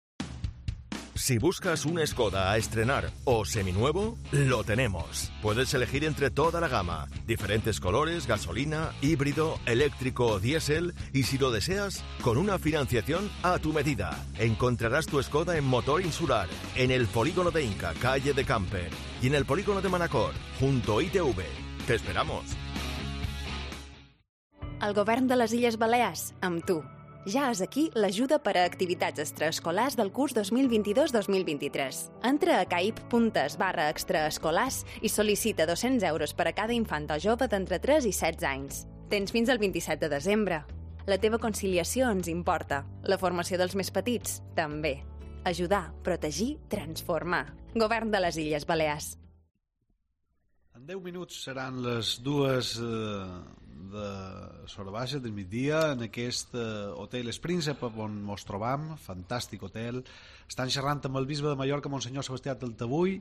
Si buscas un Skoda a estrenar o seminuevo, lo tenemos. Puedes elegir entre toda la gama, diferentes colores, gasolina, híbrido, eléctrico o diésel, y si lo deseas, con una financiación a tu medida. Encontrarás tu Skoda en Motor Insular, en el polígono de Inca, calle de Camper, y en el polígono de Manacor, junto a I T V. Te esperamos. El govern de les Illes Balears, amb tu. Ja és aquí l'ajuda per a activitats extraescolars del curs dos mil vint-i-dos dos mil vint-i-tres. Entra a caip.es barra extraescolars i sol·licita dos-cents euros per a cada infant o jove d'entre tres i setze anys. Tens fins al vint-i-set de desembre. La teva conciliació ens importa. La formació dels més petits, també. Ajudar, protegir, transformar. Govern de les Illes Balears. En deu minuts seran les dues eh, de l'hora baixa del migdia en aquest eh, hotel Spríncep on ens trobam, fantàstic hotel. Estan xerrant amb el bisbe de Mallorca, Monsenyor Sebastià Taltabull,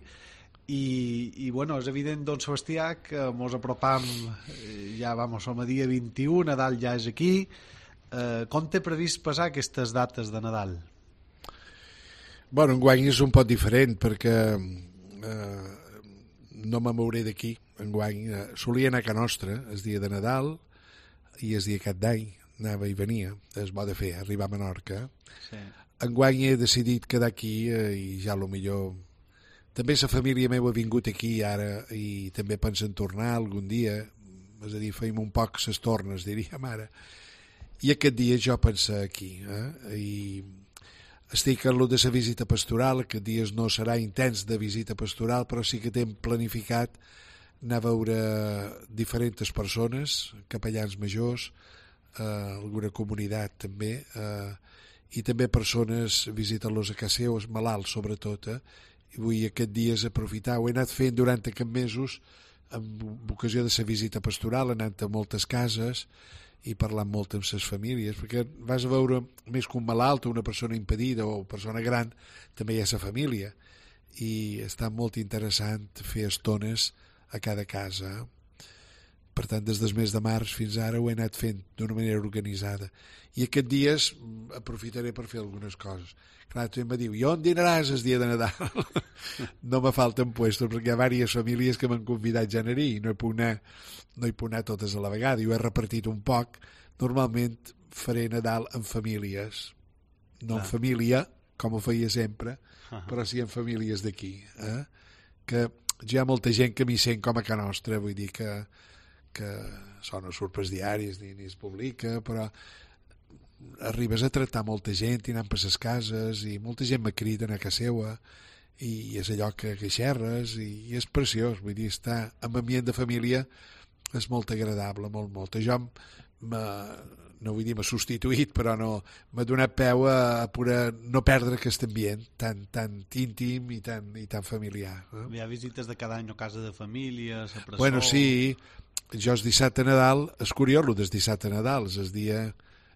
i, i bueno, és evident, don Sebastià, que ens apropam, eh, ja vamos, som a dia vint-i-u, Nadal ja és aquí. Eh, com té previst passar aquestes dates de Nadal? Bueno, enguany és un poc diferent perquè eh, no me mouré d'aquí enguany. Eh, solia anar a Ca Nostra el dia de Nadal i el dia Cap d'Any anava i venia, és bo de fer, arribar a Menorca. Sí. Enguany he decidit quedar aquí eh, i ja lo millor també la família meva ha vingut aquí ara i també pensen tornar algun dia, és a dir, feim un poc ses tornes, diríem ara, i aquest dia jo penso aquí, eh? I estic en lo de la visita pastoral. Aquest dies no serà intens de visita pastoral, però sí que tem planificat anar a veure diferents persones, capellans majors, eh, alguna comunitat també, eh, i també persones, visitar-los a casa seva, els malalts sobretot, eh? I vull aquest dies aprofitar. Ho he anat fent durant aquests mesos amb ocasió de la visita pastoral, anant a moltes cases i parlant molt amb les famílies, perquè vas a veure més que un malalt o una persona impedida o persona gran, també hi ha la família, i està molt interessant fer estones a cada casa, Per tant, des del mes de març fins ara ho he anat fent d'una manera organitzada. I aquests dies aprofitaré per fer algunes coses. Clar, tu em va dir, i on dinaràs el dia de Nadal? No me falten puestos, perquè hi ha diverses famílies que m'han convidat ja a anar-hi i no hi puc anar, no hi puc anar totes a la vegada. Jo he repartit un poc. Normalment faré Nadal en famílies, no en família, com ho feia sempre, però sí en famílies d'aquí. Eh? Que ja hi ha molta gent que m'hi sent com a Can Nostra, vull dir que que això no surt pels diaris ni, ni es publica, però arribes a tractar molta gent i anant per les cases i molta gent me crida a casa seva i, i és allò que, que xerres i, i és preciós, vull dir, estar en ambient de família és molt agradable, molt, molt. Jo no vull dir m'ha substituït, però no m'ha donat peu a, a poder no perdre aquest ambient tan, tan íntim i tan, i tan familiar. Eh? Hi ha visites de cada any a casa de família, a presó... Bueno, sí, jo el dissabte a Nadal, és curiós el del dissabte a Nadal, és el dia,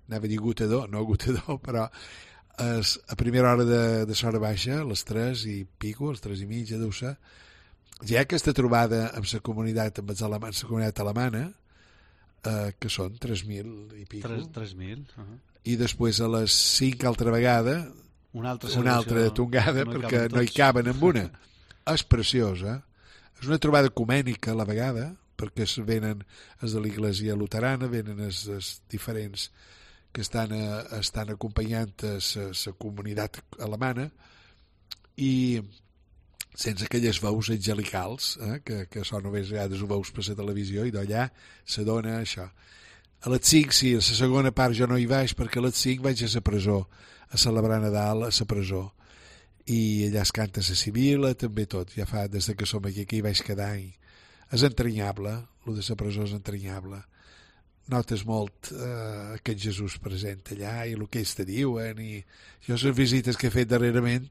anava a dir gotador, no gotador, però és a primera hora de, de l'hora baixa, a les tres i pico, a les tres i mitja, deu ser, hi ha aquesta trobada amb la comunitat, amb la comunitat alemana, eh, que són tres mil i pico. tres mil. Uh-huh. I després a les cinc altra vegada, una altra, una altra tongada, no perquè no hi caben amb una. És preciós, eh? És una trobada ecumènica a la vegada, perquè es venen els de l'Iglésia Luterana, venen els, els diferents que estan, a, estan acompanyant a la comunitat alemana i sense aquelles veus angelicals, eh, que, que això només a vegades ho veus per la televisió i d'allà se dona això. A les cinc, sí, a la segona part jo no hi vaig perquè a les cinc vaig a la presó a celebrar Nadal a la presó i allà es canta la Sibila, també tot, ja fa des que som aquí, aquí hi vaig cada any. És entranyable, el de la presó és entranyable. Notes molt eh, aquest Jesús present allà i el que ells te diuen. I jo les visites que he fet darrerament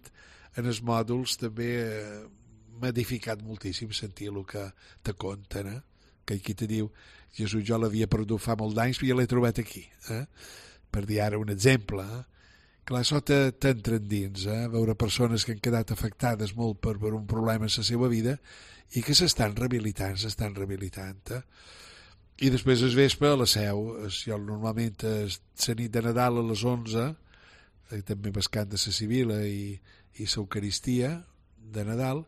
en els mòduls també eh, m'ha edificat moltíssim sentir el que te conten, eh? Que aquí te diu Jesús jo l'havia perdut fa molt d'anys i ja l'he trobat aquí, eh? Per dir ara un exemple. Eh? Clar, això t'entra dins, eh? Veure persones que han quedat afectades molt per, per un problema en la seva vida i que s'estan rehabilitant, s'estan rehabilitant. Eh? I després es vespre a la Seu, jo normalment la nit de Nadal a les onze, eh, també amb el cant de la Sibila i, i l'Eucaristia de Nadal,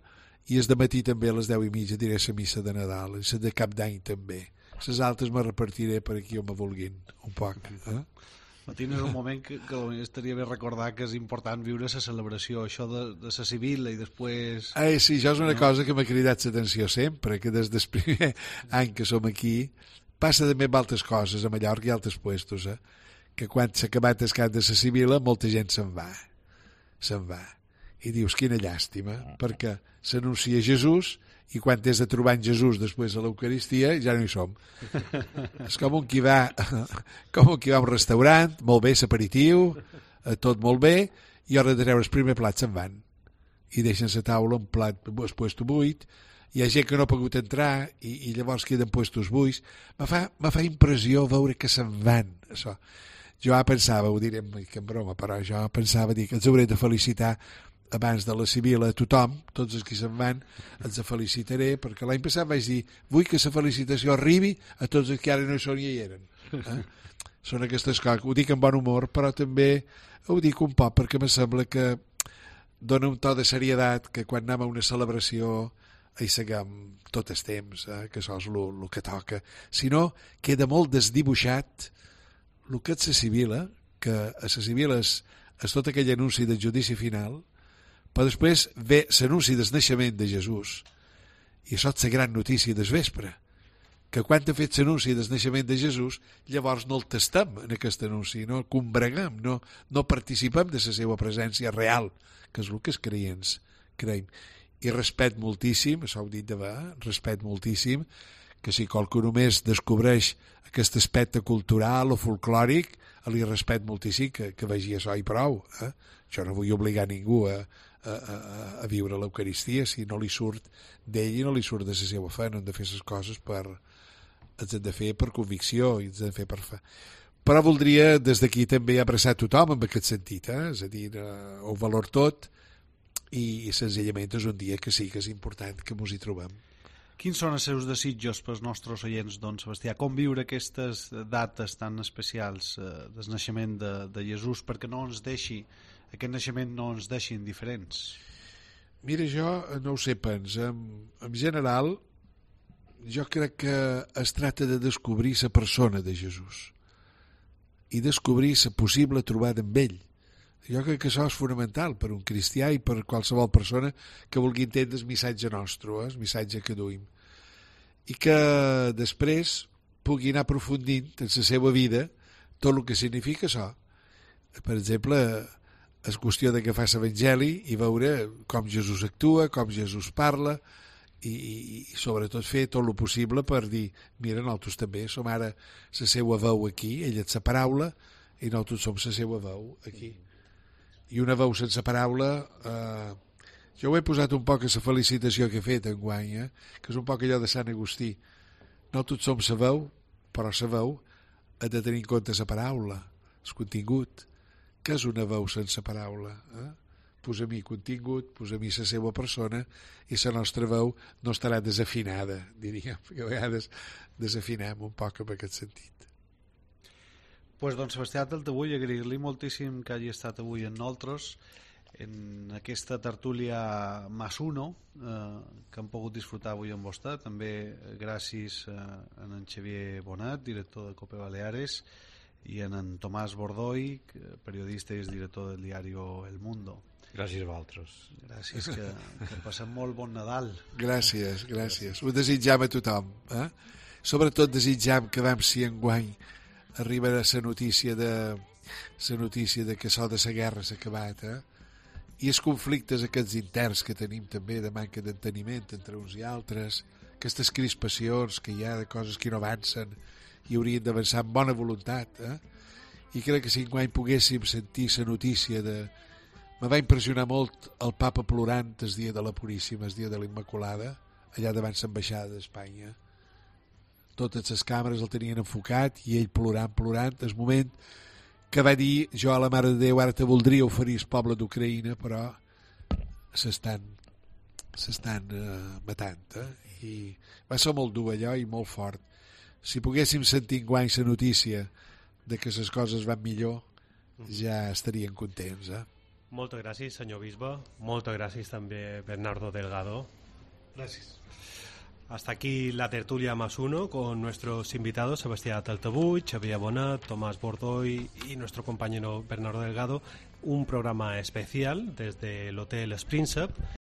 i és de matí també a les deu i mitja diré la missa de Nadal, i la de Cap d'Any també. Les altres me repartiré per aquí on me vulguin, un poc. Eh? Martín, és un moment que, que estaria bé recordar que és important viure la celebració, això de, de la Sibila i després... Eh, sí, això és una no? cosa que m'ha cridat l'atenció sempre, que des del primer any que som aquí passa també amb altres coses, a Mallorca i altres puestos, eh? Que quan s'ha acabat el cant de la Sibila molta gent se'n va, se'n va. I dius, quina llàstima, perquè s'anuncia Jesús i quan t'has de trobar en Jesús després de l'Eucaristia ja no hi som. És com un qui va com un qui va a un restaurant, molt bé, l'aperitiu, tot molt bé, i a hora de treure el primer plat se'n van i deixen la taula un plat el puesto buit, hi ha gent que no ha pogut entrar i, i llavors queden puestos buits. Me fa, me fa impressió veure que se'n van, això. Jo pensava, ho diré que en broma, però jo pensava dir que els hauré de felicitar abans de la Sibila a tothom, tots els que se'n van, els felicitaré, perquè l'any passat vaig dir, vull que la felicitació arribi a tots els que ara no hi són i hi eren. Eh? Són aquestes coses, ho dic amb bon humor, però també ho dic un poc perquè em sembla que dona un to de seriedat que quan anem a una celebració hi seguim tot el temps, eh? Que això és el que toca. Si no, queda molt desdibuixat el que és la Sibila, que a la Sibila és, és tot aquell anunci del judici final, però després ve l'anunci del naixement de Jesús i això és la gran notícia del vespre, que quan ha fet l'anunci del naixement de Jesús llavors no el tastem en aquest anunci, no el combreguem, no, no participem de la seva presència real, que és el que els creients creiem. I respect moltíssim, això ho he dit de va, respect moltíssim, que si qualcú només descobreix aquest aspecte cultural o folclòric, li respect moltíssim que, que vegi això i prou. Eh? Jo no vull obligar ningú a, a, a, a viure l'Eucaristia si no li surt d'ell i no li surt de la seva fe. No hem de fer les coses per... els hem de fer per convicció i els hem de fer per fe. Però voldria des d'aquí també abraçar tothom en aquest sentit, eh? És a dir, eh, ho valor tot i, i senzillament és un dia que sí que és important que mos hi trobem. Quins són els seus desitjos pels nostres oients, don Sebastià? Com viure aquestes dates tan especials eh, del naixement de, de Jesús perquè no ens deixi, aquest naixement no ens deixi indiferents? Mira, jo no ho sé pens. En, en general, jo crec que es tracta de descobrir la persona de Jesús i descobrir la possible trobada amb ell. Jo crec que això és fonamental per un cristià i per qualsevol persona que vulgui entendre el missatge nostre, eh, el missatge que duim. I que després pugui anar aprofundint en la seva vida tot el que significa això. Per exemple, és qüestió d'agafar l'Evangeli i veure com Jesús actua, com Jesús parla i, i, i sobretot fer tot el possible per dir, mira, nosaltres també som ara la seva veu aquí, ella és la paraula i nosaltres som la seva veu aquí. I una veu sense paraula, eh, jo ho he posat un poc a la felicitació que he fet enguany, eh, que és un poc allò de Sant Agustí. No tots som la veu, però la veu ha de tenir en compte la paraula, el contingut. Què és una veu sense paraula? Eh? Posa-m'hi contingut, posa-m'hi la seva persona i la nostra veu no estarà desafinada, diríem, perquè a vegades desafinem un poc en aquest sentit. Pues, don Sebastià Taltabull, agrair-li moltíssim que hagi estat avui amb nosaltres en aquesta tertúlia más uno eh, que hem pogut disfrutar avui amb vostè. També gràcies eh, a en Xavier Bonet, director de Cope Baleares, i a en Tomàs Bordoi, periodista i director del diari El Mundo. Gràcies a vosaltres. Gràcies, que, que passem molt bon Nadal. Gràcies, gràcies. Ho desitjam a tothom. Eh? Sobretot desitjam que vam si enguany arribarà la notícia de la notícia de que això de la guerra s'ha acabat, eh? I els conflictes aquests interns que tenim també de manca d'enteniment entre uns i altres, aquestes crispacions que hi ha de coses que no avancen i haurien d'avançar amb bona voluntat, eh? I crec que si enguany poguéssim sentir la notícia de... Me va impressionar molt el papa plorant el dia de la Puríssima, el dia de la Immaculada, allà davant l'ambaixada d'Espanya. Totes les càmeres el tenien enfocat i ell plorant, plorant, el moment que va dir, jo a la Mare de Déu ara te voldria oferir el poble d'Ucraïna, però s'estan s'estan uh, matant, eh? I va ser molt dur allò i molt fort. Si poguéssim sentir enguany la notícia de que les coses van millor, ja estarien contents, eh? Moltes gràcies, senyor bisbe. Moltes gràcies també, Bernardo Delgado. Gràcies. Hasta aquí la tertulia más uno con nuestros invitados Sebastián Taltabull, Xavier Bonet, Tomás Bordoy y nuestro compañero Bernardo Delgado. Un programa especial desde el Hotel Springsep